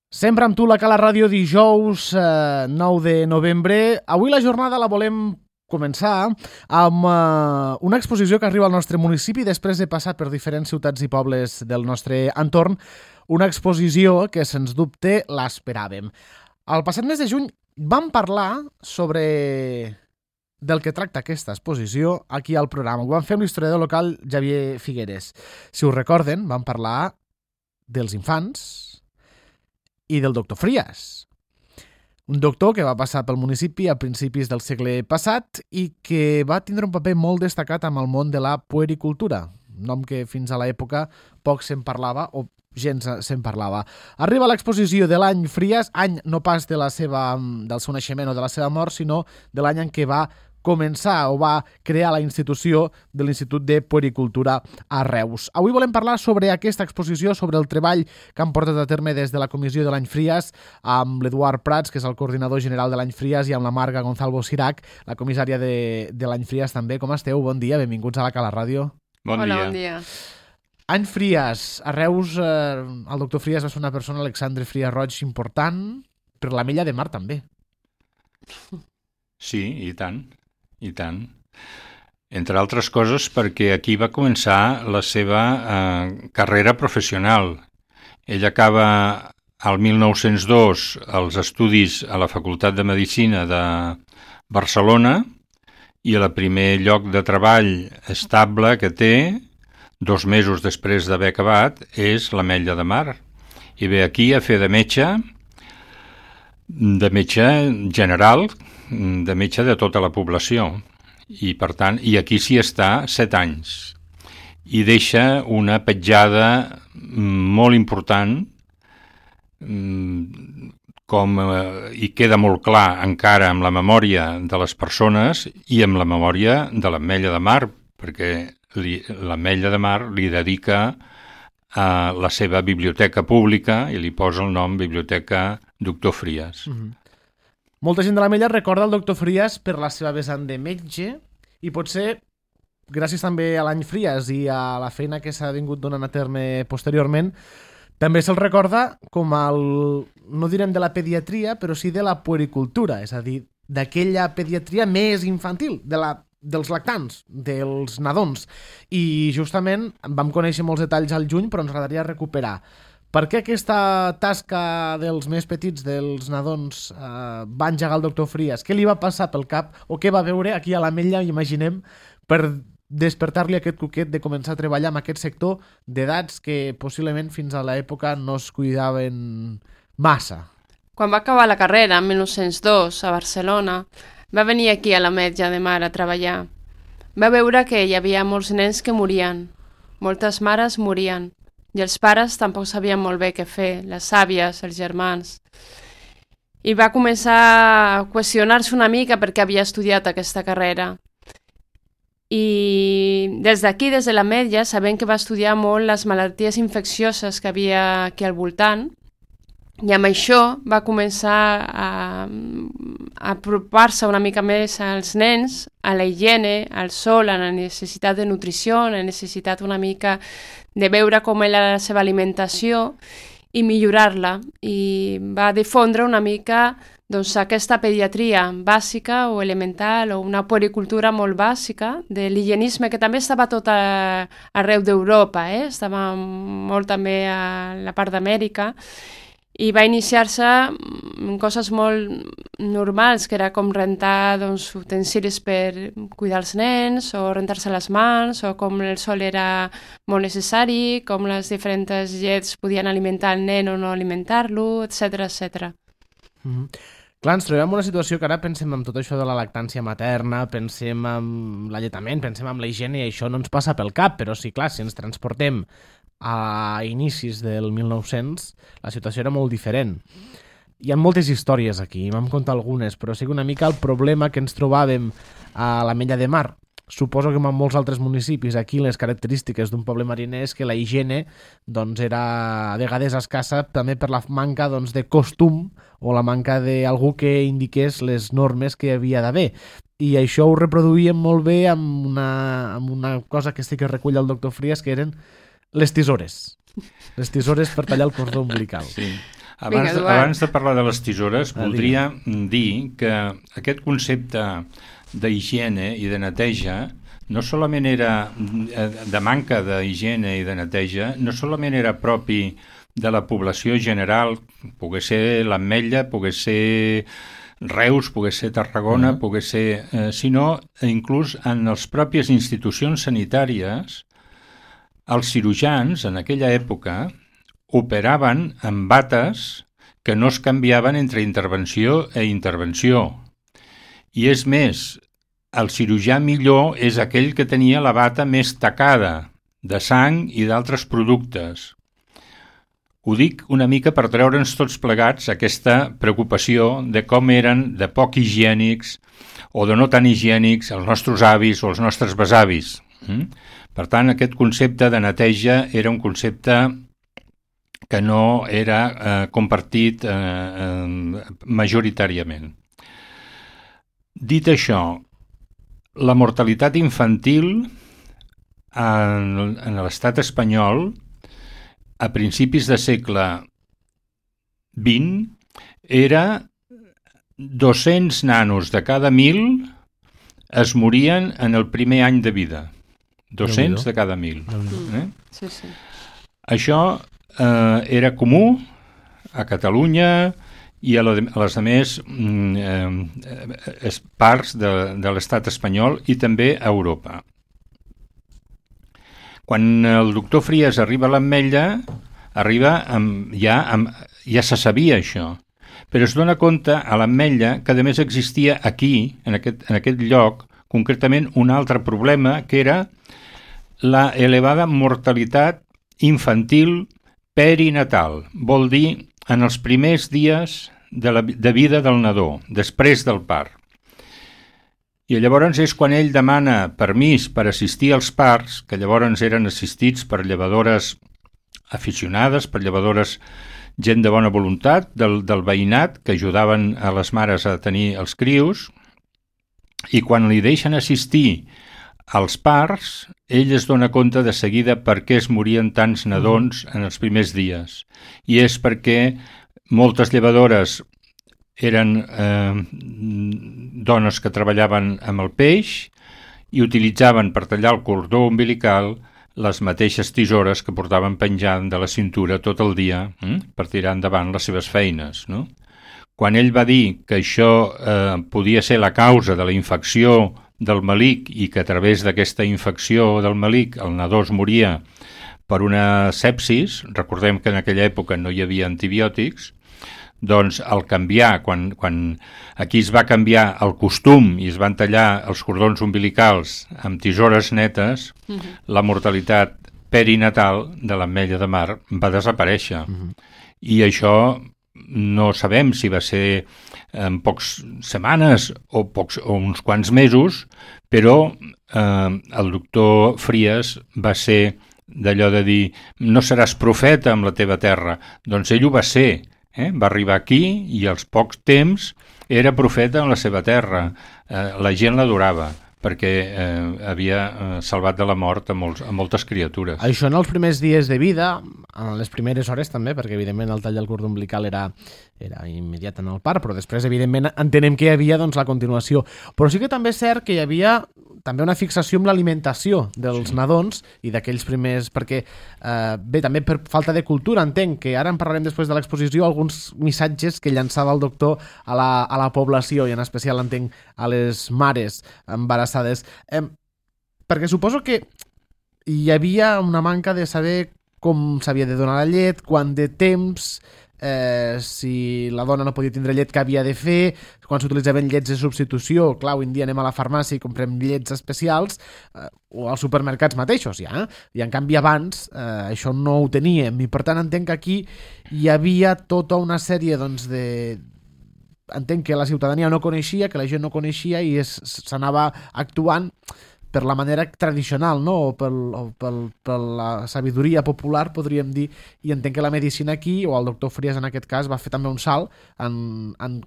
Sempre amb tu, la Cala Ràdio, dijous 9 de novembre. Avui la jornada la volem començar amb una exposició que arriba al nostre municipi després de passar per diferents ciutats i pobles del nostre entorn. Una exposició que, sens dubte, l'esperàvem. El passat mes de juny vam parlar del que tracta aquesta exposició aquí al programa. Ho vam fer amb l'historiador local Xavier Figueres. Si us recorden, vam parlar dels infants i del doctor Frias. Un doctor que va passar pel municipi a principis del segle passat i que va tindre un paper molt destacat amb el món de la puericultura, nom que fins a l'època poc se'n parlava o gens se'n parlava. Arriba l'exposició de l'any Frias, any no pas del seu naixement o de la seva mort, sinó de l'any en què va començar o va crear la institució de l'Institut de Puericultura a Reus. Avui volem parlar sobre aquesta exposició, sobre el treball que han portat a terme des de la comissió de l'any Frias, amb l'Eduard Prats, que és el coordinador general de l'any Frias, i amb la Marga Gonzalvo Sirac, la comissària de l'any Frias també. Com esteu? Bon dia, benvinguts a la Cala Ràdio. Hola, bon dia. Any Frias, a Reus, el doctor Frias va ser una persona, Alexandre Frias Roig, important, per l'Ametlla de Mar també. Sí, i tant. I tant. Entre altres coses perquè aquí va començar la seva carrera professional. Ell acaba al 1902 els estudis a la Facultat de Medicina de Barcelona i el primer lloc de treball estable que té, 2 mesos després d'haver acabat, és l'Ametlla de Mar. I ve aquí a fer de metge general, de metge de tota la població, i per tant, i aquí s'hi està 7 anys i deixa una petjada molt important, i queda molt clar encara amb la memòria de les persones i amb la memòria de l'Ametlla de Mar, perquè l'Ametlla de Mar li dedica a la seva biblioteca pública i li posa el nom Biblioteca Doctor Frias. Molta gent de l'Ametlla recorda el doctor Frias per la seva vessant de metge i potser, gràcies també a l'any Frias i a la feina que s'ha vingut donant a terme posteriorment, també se'l recorda com no direm de la pediatria, però sí de la puericultura, és a dir, d'aquella pediatria més infantil, dels lactants, dels nadons. I justament vam conèixer molts detalls al juny, però ens agradaria recuperar. Per què aquesta tasca dels més petits, dels nadons, va engegar el doctor Frias? Què li va passar pel cap o què va veure aquí a l'Ametlla, imaginem, per despertar-li aquest cuquet de començar a treballar en aquest sector d'edats que possiblement fins a l'època no es cuidaven massa? Quan va acabar la carrera, en 1902, a Barcelona, va venir aquí a l'Ametlla de Mar a treballar. Va veure que hi havia molts nens que morien, moltes mares morien, i els pares tampoc sabien molt bé què fer, les àvies, els germans. I va començar a qüestionar-se una mica perquè havia estudiat aquesta carrera. I des d'aquí, des de l'Ametlla, sabent que va estudiar molt les malalties infeccioses que havia aquí al voltant, i amb això va començar a apropar-se una mica més als nens, a la higiene, al sol, a la necessitat de nutrició, a la necessitat una mica de veure com era la seva alimentació i millorar-la. I va difondre una mica aquesta pediatria bàsica o elemental o una puericultura molt bàsica de l'higienisme que també estava tot arreu d'Europa, estava molt també a la part d'Amèrica. I va iniciar-se en coses molt normals, que era com rentar utensilis per cuidar els nens, o rentar-se les mans, o com el sol era molt necessari, com les diferents llets podien alimentar el nen o no alimentar-lo, etc. etc. Clar, ens trobem en una situació que ara pensem en tot això de la lactància materna, pensem en l'alletament, pensem en la higiene, i això no ens passa pel cap, però sí, clar, si ens transportem a inicis del 1900, la situació era molt diferent. Hi ha moltes històries aquí, m'hem contat algunes, però sí que una mica el problema que ens trobàvem a l'Ametlla de Mar. Suposo que en molts altres municipis aquí les característiques d'un poble mariner és que la higiene era a vegades escassa també per la manca de costum o la manca d'algú que indiqués les normes que hi havia d'haver. I això ho reproduïem molt bé amb una cosa que sí que recull el doctor Frias, que eren les tisores. Les tisores per tallar el cordó umbilical. Sí. Abans de parlar de les tisores, voldria dir que aquest concepte d'higiene i de neteja no solament era de manca d'higiene i de neteja, no solament era propi de la població general, pogués ser l'Ametlla, pogués ser Reus, pogués ser Tarragona, pogués ser, sinó inclús en les pròpies institucions sanitàries, els cirurgians en aquella època operaven amb bates que no es canviaven entre intervenció e intervenció. I és més, el cirurgià millor és aquell que tenia la bata més tacada de sang i d'altres productes. Ho dic una mica per treure'ns tots plegats aquesta preocupació de com eren de poc higiènics o de no tan higiènics els nostres avis o els nostres besavis. Per tant, aquest concepte de neteja era un concepte que no era compartit majoritàriament. Dit això, la mortalitat infantil en l'estat espanyol a principis de segle XX era 200 nanos de cada 1.000 es morien en el primer any de vida. 200 de cada 1.000. Sí, sí. Això era comú a Catalunya i a les altres parts de l'estat espanyol i també a Europa. Quan el doctor Fries arriba a l'Ametlla, ja se sabia això, però es dona compte a l'Ametlla que a més existia aquí, en aquest lloc, concretament un altre problema, que era la elevada mortalitat infantil perinatal, vol dir en els primers dies de vida del nadó, després del part. I llavors és quan ell demana permís per assistir als parts, que llavors eren assistits per llevadores aficionades, per llevadores gent de bona voluntat, del veïnat, que ajudaven a les mares a tenir els crios, i quan li deixen assistir als parts, ell es dona compte de seguida per què es morien tants nadons en els primers dies. I és perquè moltes llevadores eren dones que treballaven amb el peix i utilitzaven per tallar el cordó umbilical les mateixes tisores que portaven penjant de la cintura tot el dia per tirar endavant les seves feines. No? Quan ell va dir que això podia ser la causa de la infecció del melic i que a través d'aquesta infecció del melic el nadó es moria per una sepsis, recordem que en aquella època no hi havia antibiòtics, doncs al canviar, quan aquí es va canviar el costum i es van tallar els cordons umbilicals amb tisores netes, la mortalitat perinatal de l'Ametlla de Mar va desaparèixer. I això no sabem si va ser en poques setmanes o uns quants mesos, però el doctor Fries va ser d'allò de dir no seràs profeta amb la teva terra. Doncs ell ho va ser. Va arribar aquí i als pocs temps era profeta en la seva terra. La gent l'adorava perquè havia salvat de la mort a moltes criatures. Això en els primers dies de vida, en les primeres hores també, perquè evidentment el tall del cordó umbilical era immediat en el part, però després evidentment entenem que hi havia la continuació. Però sí que també és cert que hi havia també una fixació amb l'alimentació dels nadons i d'aquells primers, perquè bé, també per falta de cultura, entenc que ara en parlarem després de l'exposició, alguns missatges que llançava el doctor a la població i en especial entenc a les mares embarassades, perquè suposo que hi havia una manca de saber com s'havia de donar la llet, quant de temps, si la dona no podia tindre llet, què havia de fer, quan s'utilitzaven llets de substitució. Clar, avui en dia anem a la farmàcia i comprem llets especials o als supermercats mateixos ja, i en canvi abans això no ho teníem, i per tant entenc que aquí hi havia tota una sèrie entenc que la ciutadania no coneixia, que la gent no coneixia i s'anava actuant per la manera tradicional, no? o per la sabidoria popular, podríem dir, i entenc que la medicina aquí, o el doctor Fries en aquest cas, va fer també un salt en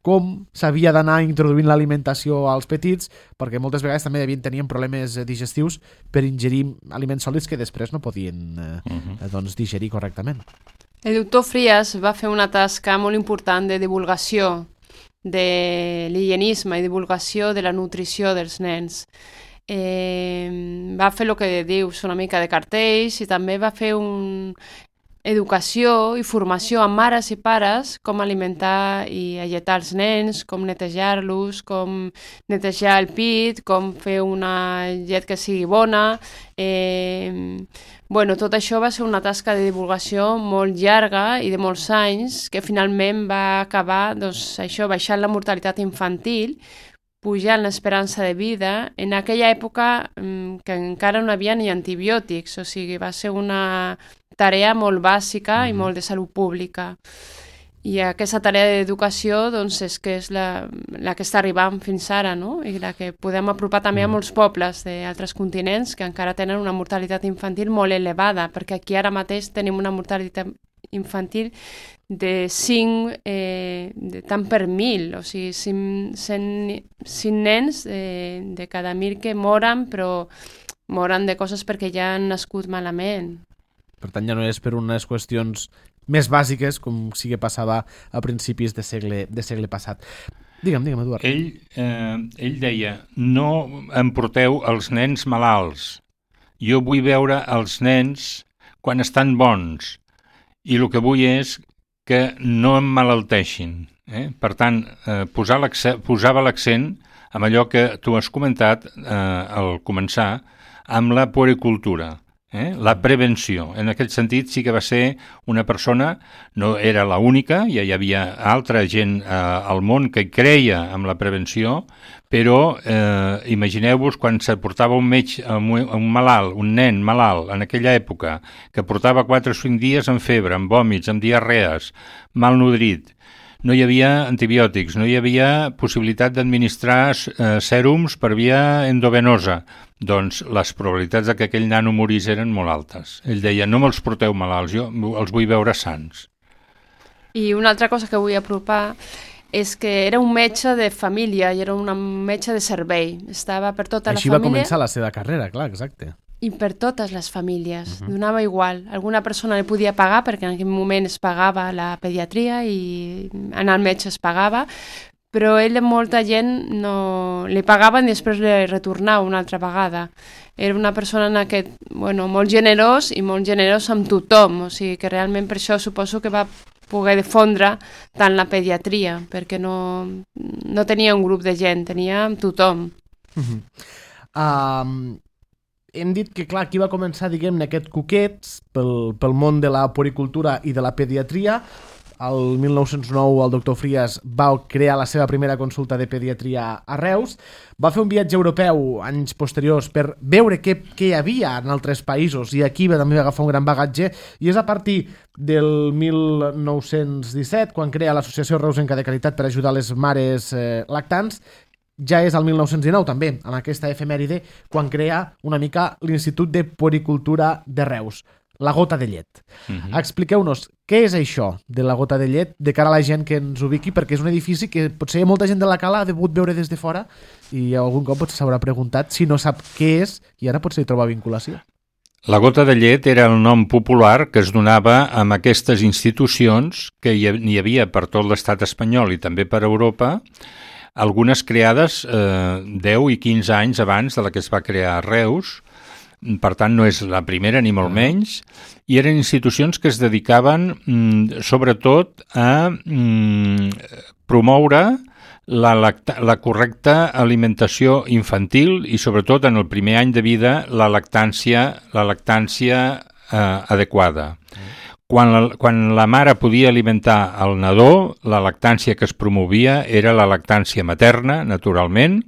com s'havia d'anar introduint l'alimentació als petits, perquè moltes vegades també tenien problemes digestius per ingerir aliments sòlids que després no podien digerir correctament. El doctor Frías va fer una tasca molt important de divulgació de l'higienisme i divulgació de la nutrició dels nens. Va fer el que dius, una mica de cartells, i també va fer educació i formació a mares i pares, com alimentar i alletar els nens, com netejar-los, com netejar el pit, com fer una llet que sigui bona. Tot això va ser una tasca de divulgació molt llarga i de molts anys, que finalment va acabar baixant la mortalitat infantil, pujant l'esperança de vida, en aquella època que encara no hi havia ni antibiòtics, o sigui, va ser una tarea molt bàsica i molt de salut pública. I aquesta tarea d'educació és que és la que està arribant fins ara, no? I la que podem apropar també a molts pobles d'altres continents que encara tenen una mortalitat infantil molt elevada, perquè aquí ara mateix tenim una mortalitat infantil de 5 tant per 1.000, o sigui, 5 nens de cada 1.000 que moren, però moren de coses perquè ja han nascut malament. Per tant, ja no és per unes qüestions més bàsiques, com sí que passava a principis de segle passat. Digue'm, Eduard. Ell deia, no em porteu els nens malalts. Jo vull veure els nens quan estan bons. I el que vull és que no em malalteixin. Per tant, posava l'accent amb allò que tu has comentat al començar, amb la puericultura. La prevenció. En aquest sentit sí que va ser una persona, no era l'única, ja hi havia altra gent al món que creia en la prevenció, però imagineu-vos quan se portava un metge, un malalt, un nen malalt en aquella època, que portava 4 o 5 dies amb febre, amb vòmits, amb diarrees, malnodrit. No hi havia antibiòtics, no hi havia possibilitat d'administrar sèrums per via endovenosa. Doncs les probabilitats que aquell nano morís eren molt altes. Ell deia, no me'ls porteu malalts, jo els vull veure sants. I una altra cosa que vull apropar és que era un metge de família i era un metge de servei. Estava per tota la família. Així va començar la seva carrera, clar, exacte. I per totes les famílies, donava igual. Alguna persona li podia pagar, perquè en aquell moment es pagava la pediatria i anar al metge es pagava, però ell, molta gent, no li pagaven i després li retornava una altra vegada. Era una persona molt generós i molt generós amb tothom, o sigui que realment per això suposo que va poder difondre tant la pediatria, perquè no tenia un grup de gent, tenia amb tothom. Hem dit que, clar, aquí va començar, diguem-ne, aquest coquets pel món de la puericultura i de la pediatria. El 1909 el doctor Frías va crear la seva primera consulta de pediatria a Reus. Va fer un viatge europeu anys posteriors per veure què hi havia en altres països i aquí també va agafar un gran bagatge i és a partir del 1917, quan crea l'Associació Reusenca de Caritat per ajudar les mares lactants. Ja és el 1919 també, amb aquesta efemèride, quan crea una mica l'Institut de Puericultura de Reus, la gota de llet. Expliqueu-nos què és això de la gota de llet de cara a la gent que ens ubiqui, perquè és un edifici que potser molta gent de la Cala ha degut veure des de fora i algun cop potser s'haurà preguntat si no sap què és i ara potser hi troba vinculació. La gota de llet era el nom popular que es donava amb aquestes institucions que n'hi havia per tot l'estat espanyol i també per Europa, algunes creades 10 i 15 anys abans de la que es va crear a Reus, per tant no és la primera ni molt menys, i eren institucions que es dedicaven sobretot a promoure la correcta alimentació infantil i sobretot en el primer any de vida la lactància adequada. Quan la mare podia alimentar el nadó, la lactància que es promovia era la lactància materna, naturalment,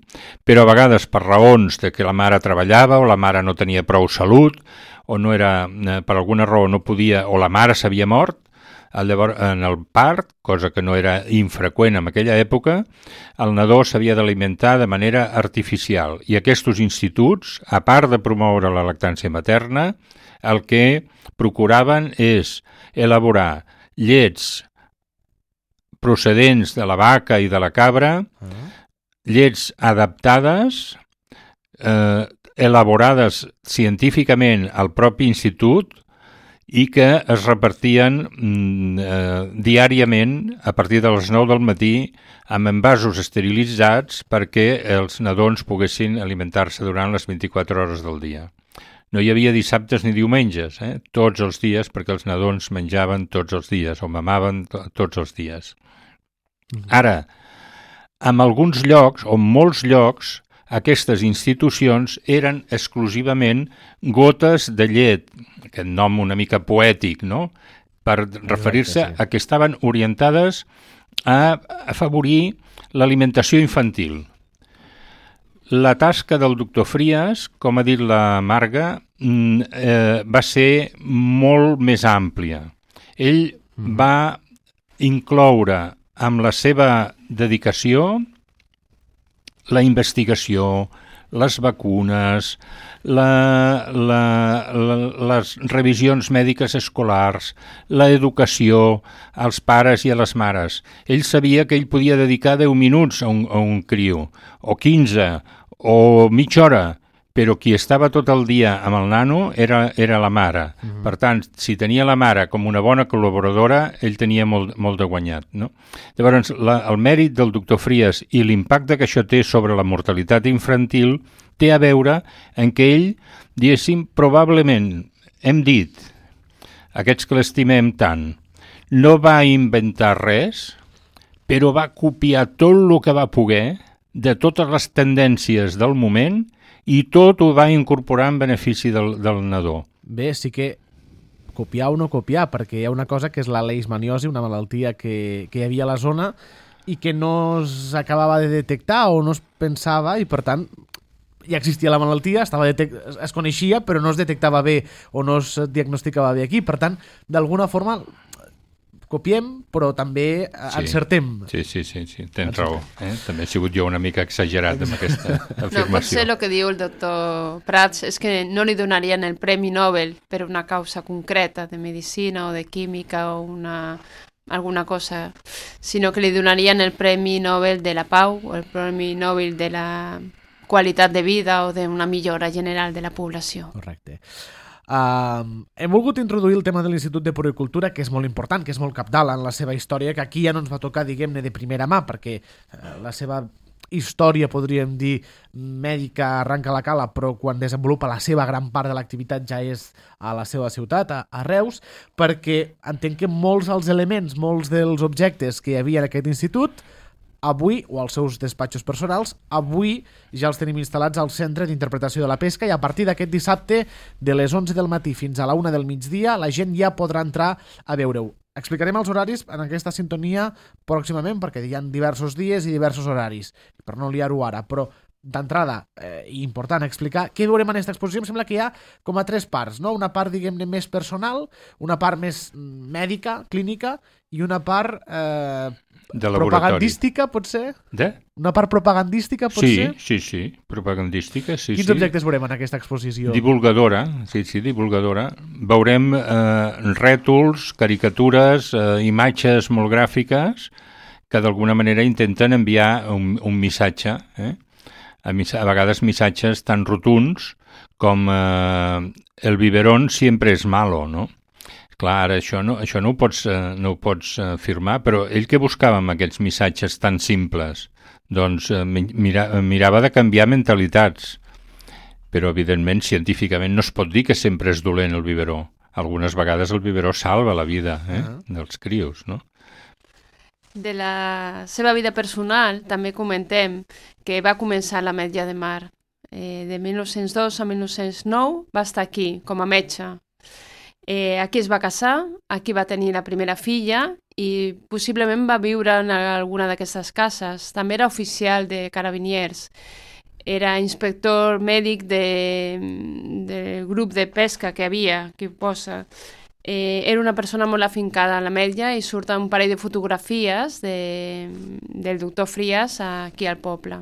però a vegades per raons de que la mare treballava o la mare no tenia prou salut o no era, per alguna raó no podia, o la mare s'havia mort, llavors en el part, cosa que no era infreqüent en aquella època, el nadó s'havia d'alimentar de manera artificial. I aquests instituts, a part de promoure la lactància materna, el que procuraven és elaborar llets procedents de la vaca i de la cabra, llets adaptades, elaborades científicament al propi institut i que es repartien diàriament a partir de les 9 del matí amb envasos esterilitzats perquè els nadons poguessin alimentar-se durant les 24 hores del dia. No hi havia dissabtes ni diumenges, tots els dies, perquè els nadons menjaven tots els dies o mamaven tots els dies. Ara, en alguns llocs, o en molts llocs, aquestes institucions eren exclusivament gotes de llet, aquest nom una mica poètic, no?, per referir-se a que estaven orientades a afavorir l'alimentació infantil. La tasca del doctor Frias, com ha dit la Marga, va ser molt més àmplia. Ell va incloure amb la seva dedicació la investigació, les vacunes, les revisions mèdiques escolars, l'educació als pares i a les mares. Ell sabia que ell podia dedicar 10 minuts a un criu, o 15, o mitja hora, però qui estava tot el dia amb el nano era la mare. Per tant, si tenia la mare com una bona col·laboradora, ell tenia molt de guanyat, no? Llavors, el mèrit del doctor Frias i l'impacte que això té sobre la mortalitat infantil té a veure en què ell, diguéssim, probablement, hem dit, aquests que l'estimem tant, no va inventar res, però va copiar tot el que va poder de totes les tendències del moment i tot ho va incorporar en benefici del nadó. Bé, sí que copiar o no copiar, perquè hi ha una cosa que és la leishmaniosi, una malaltia que hi havia a la zona i que no s'acabava de detectar o no es pensava i, per tant, ja existia la malaltia, es coneixia, però no es detectava bé o no es diagnosticava bé aquí. Per tant, d'alguna forma, copiem, però també encertem. Sí, tens raó. També he sigut jo una mica exagerat amb aquesta afirmació. No, potser el que diu el doctor Prats és que no li donarien el Premi Nobel per una causa concreta de medicina o de química o alguna cosa, sinó que li donarien el Premi Nobel de la Pau o el Premi Nobel de la qualitat de vida o d'una millora general de la població. Correcte. Hem volgut introduir el tema de l'Institut de Puericultura, que és molt important, que és molt cabdal en la seva història, que aquí ja no ens va tocar, diguem-ne, de primera mà, perquè la seva història, podríem dir, mèdica arranca la cala, però quan desenvolupa la seva gran part de l'activitat ja és a la seva ciutat, a Reus, perquè entenc que molts dels elements, molts dels objectes que hi havia en aquest institut, avui, o als seus despatxos personals, avui ja els tenim instal·lats al Centre d'Interpretació de la Pesca i a partir d'aquest dissabte de les 11 del matí fins a la 1 del migdia la gent ja podrà entrar a veure-ho. Explicarem els horaris en aquesta sintonia pròximament perquè hi ha diversos dies i diversos horaris, per no liar-ho ara, però d'entrada, important explicar què veurem en aquesta exposició. Em sembla que hi ha com a 3 parts, no? Una part, diguem-ne, més personal, una part més mèdica, clínica i una part propagandística, pot ser? Una part propagandística, pot ser? Sí, propagandística, sí. Quins objectes veurem en aquesta exposició? Divulgadora, divulgadora. Veurem rètols, caricatures, imatges molt gràfiques que d'alguna manera intenten enviar un missatge, a vegades missatges tan rotunds com el biberón siempre es malo, no? Clar, ara això no ho pots afirmar, però ell que buscava amb aquests missatges tan simples? Doncs mirava de canviar mentalitats, però evidentment científicament no es pot dir que sempre és dolent el biberó. Algunes vegades el biberó salva la vida dels crios, no? De la seva vida personal també comentem que va començar a l'Ametlla de Mar. De 1902 a 1909 va estar aquí com a metge. Aquí es va casar, aquí va tenir la primera filla i possiblement va viure en alguna d'aquestes cases. També era oficial de carabiniers, era inspector mèdic del grup de pesca que havia, que posa. Era una persona molt afincada a l'Ametlla i surt un parell de fotografies del doctor Frias aquí al poble.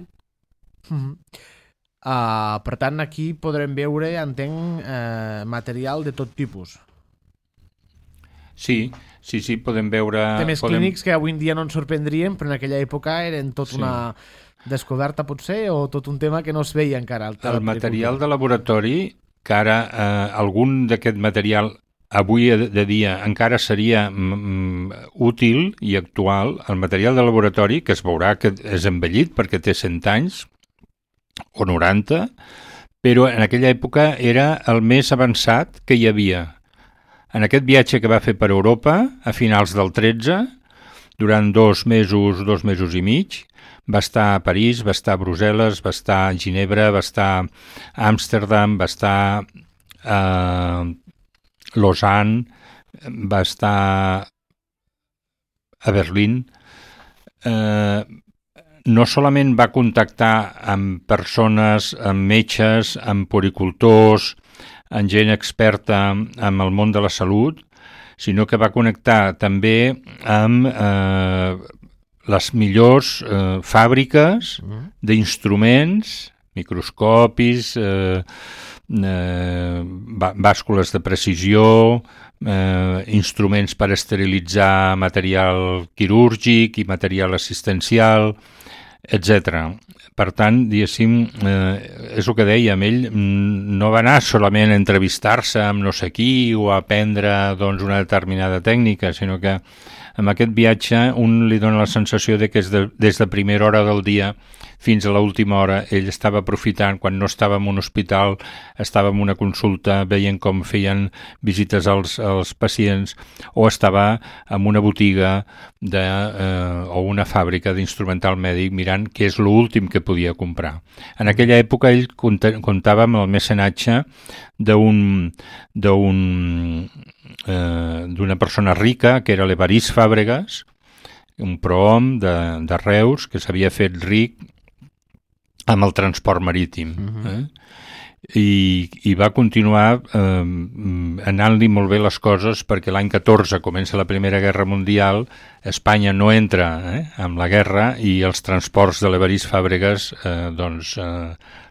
Per tant, aquí podrem veure, entenc, material de tot tipus. Sí, podem veure... Temes clínics que avui en dia no ens sorprendrien, però en aquella època eren tot una descoberta, potser, o tot un tema que no es veia encara. El material de laboratori, que ara algun d'aquest material avui de dia encara seria útil i actual, el material de laboratori, que es veurà que és envellit perquè té 100 anys o 90, però en aquella època era el més avançat que hi havia. En aquest viatge que va fer per Europa, a finals del 13, durant 2 mesos i mig, va estar a París, va estar a Brussel·les, va estar a Ginebra, va estar a Amsterdam, va estar a Lausanne, va estar a Berlín. No solament va contactar amb persones, amb metges, amb puricultors, amb gent experta en el món de la salut, sinó que va connectar també amb les millors fàbriques d'instruments, microscopis, bàscules de precisió, instruments per esterilitzar material quirúrgic i material assistencial, etc. Per tant, diguéssim, és el que dèiem, ell no va anar solament a entrevistar-se amb no sé qui o a aprendre doncs, una determinada tècnica, sinó que amb aquest viatge un li dona la sensació de que des de primera hora del dia fins a l'última hora ell estava aprofitant, quan no estava en un hospital, estava en una consulta veient com feien visites als pacients, o estava en una botiga o una fàbrica d'instrumental mèdic mirant què és l'últim que podia comprar. En aquella època ell comptava amb el mecenatge d'una persona rica, que era l'Evarist Fàbregas, un prohom de Reus que s'havia fet ric amb el transport marítim. I va continuar anant-li molt bé les coses, perquè l'any 14 comença la Primera Guerra Mundial, Espanya no entra en la guerra i els transports de l'Evarist Fàbregas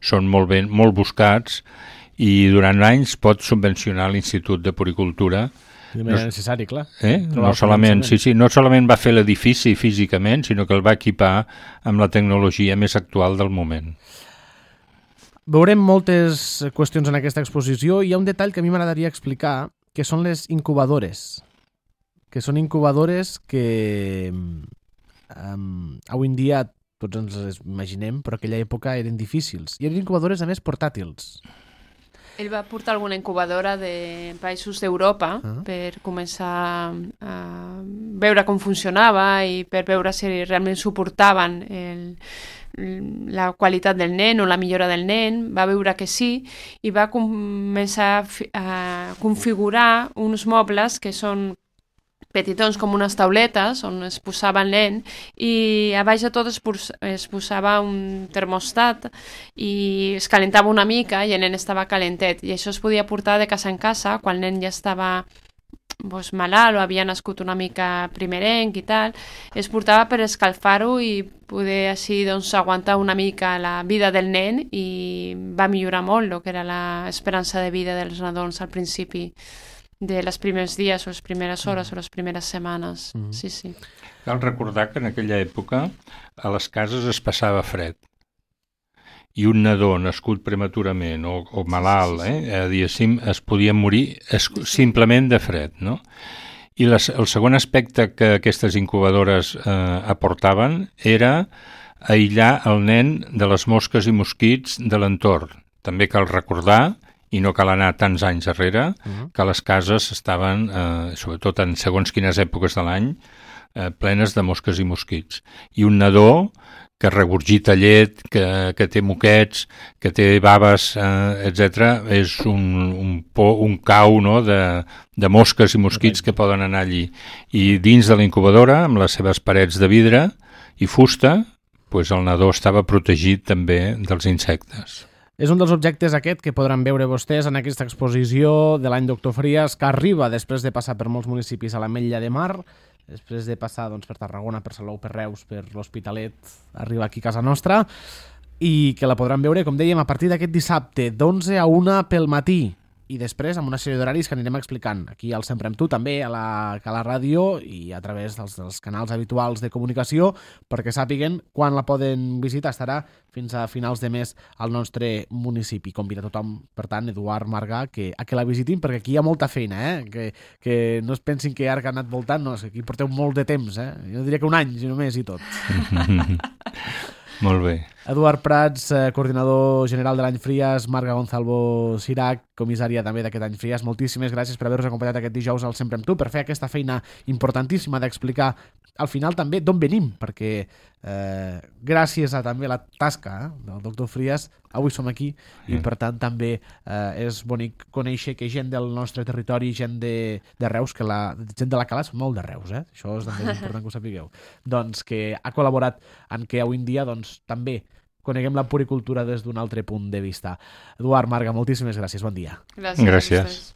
són molt buscats, i durant anys pot subvencionar l'Institut de Puricultura. Era necessari, clar. No solament va fer l'edifici físicament, sinó que el va equipar amb la tecnologia més actual del moment. Veurem moltes qüestions en aquesta exposició i hi ha un detall que a mi m'agradaria explicar, que són les incubadores. Que són incubadores que avui en dia tots ens les imaginem, però aquella època eren difícils. I eren incubadores, a més, portàtils. Ell va portar alguna incubadora de països d'Europa per començar a veure com funcionava i per veure si realment suportaven la qualitat del nen o la millora del nen. Va veure que sí i va començar a configurar uns mobles que són petitons com unes tauletes on es posava el nen i a baix de tot es posava un termostat i es calentava una mica i el nen estava calentet, i això es podia portar de casa en casa quan el nen ja estava malalt o havia nascut una mica primerenc i tal, es portava per escalfar-ho i poder així aguantar una mica la vida del nen, i va millorar molt el que era l'esperança de vida dels nadons al principi de les primers dies o les primeres hores o les primeres setmanes. Sí. Cal recordar que en aquella època a les cases es passava fred i un nadó nascut prematurament o malalt, diguéssim, es podia morir simplement de fred, no? I el segon aspecte que aquestes incubadores aportaven era aïllar el nen de les mosques i mosquits de l'entorn. També cal recordar, i no cal anar tants anys darrere, que les cases estaven, sobretot en segons quines èpoques de l'any, plenes de mosques i mosquits. I un nadó que regurgita llet, que té moquets, que té baves, etc., és un cau de mosques i mosquits que poden anar allí. I dins de la incubadora, amb les seves parets de vidre i fusta, el nadó estava protegit també dels insectes. És un dels objectes aquest que podran veure vostès en aquesta exposició de l'any Doctor Frías, que arriba després de passar per molts municipis a l'Ametlla de Mar, després de passar per Tarragona, per Salou, per Reus, per l'Hospitalet, arriba aquí a casa nostra, i que la podran veure, com dèiem, a partir d'aquest dissabte, d'11 a 1 pel matí. i després amb una sèrie d'horaris que anirem explicant aquí al Sempre amb tu, també a la ràdio i a través dels canals habituals de comunicació, perquè sàpiguen quan la poden visitar. Estarà fins a finals de mes al nostre municipi. Convida tothom, per tant, Eduard Marga, a que la visitin, perquè aquí hi ha molta feina, que no es pensin que ara que ha anat voltant, no, és que aquí porteu molt de temps, jo diria que un any, si només, i tot. Molt bé. Eduard Prats, coordinador general de l'Any Fries, Marga Gonzalvo Cirac, comissària també d'aquest Any Fries, moltíssimes gràcies per haver-nos acompanyat aquest dijous al Sempre amb tu, per fer aquesta feina importantíssima d'explicar al final també d'on venim, perquè gràcies a també la tasca del doctor Fries avui som aquí i per tant també és bonic conèixer que gent del nostre territori, gent de Reus, que gent de la Cala és molt de Reus, això és també important que ho sapigueu, doncs que ha col·laborat en que avui en dia doncs també coneguem la puricultura des d'un altre punt de vista. Eduard Marga, moltíssimes gràcies, bon dia. Gràcies.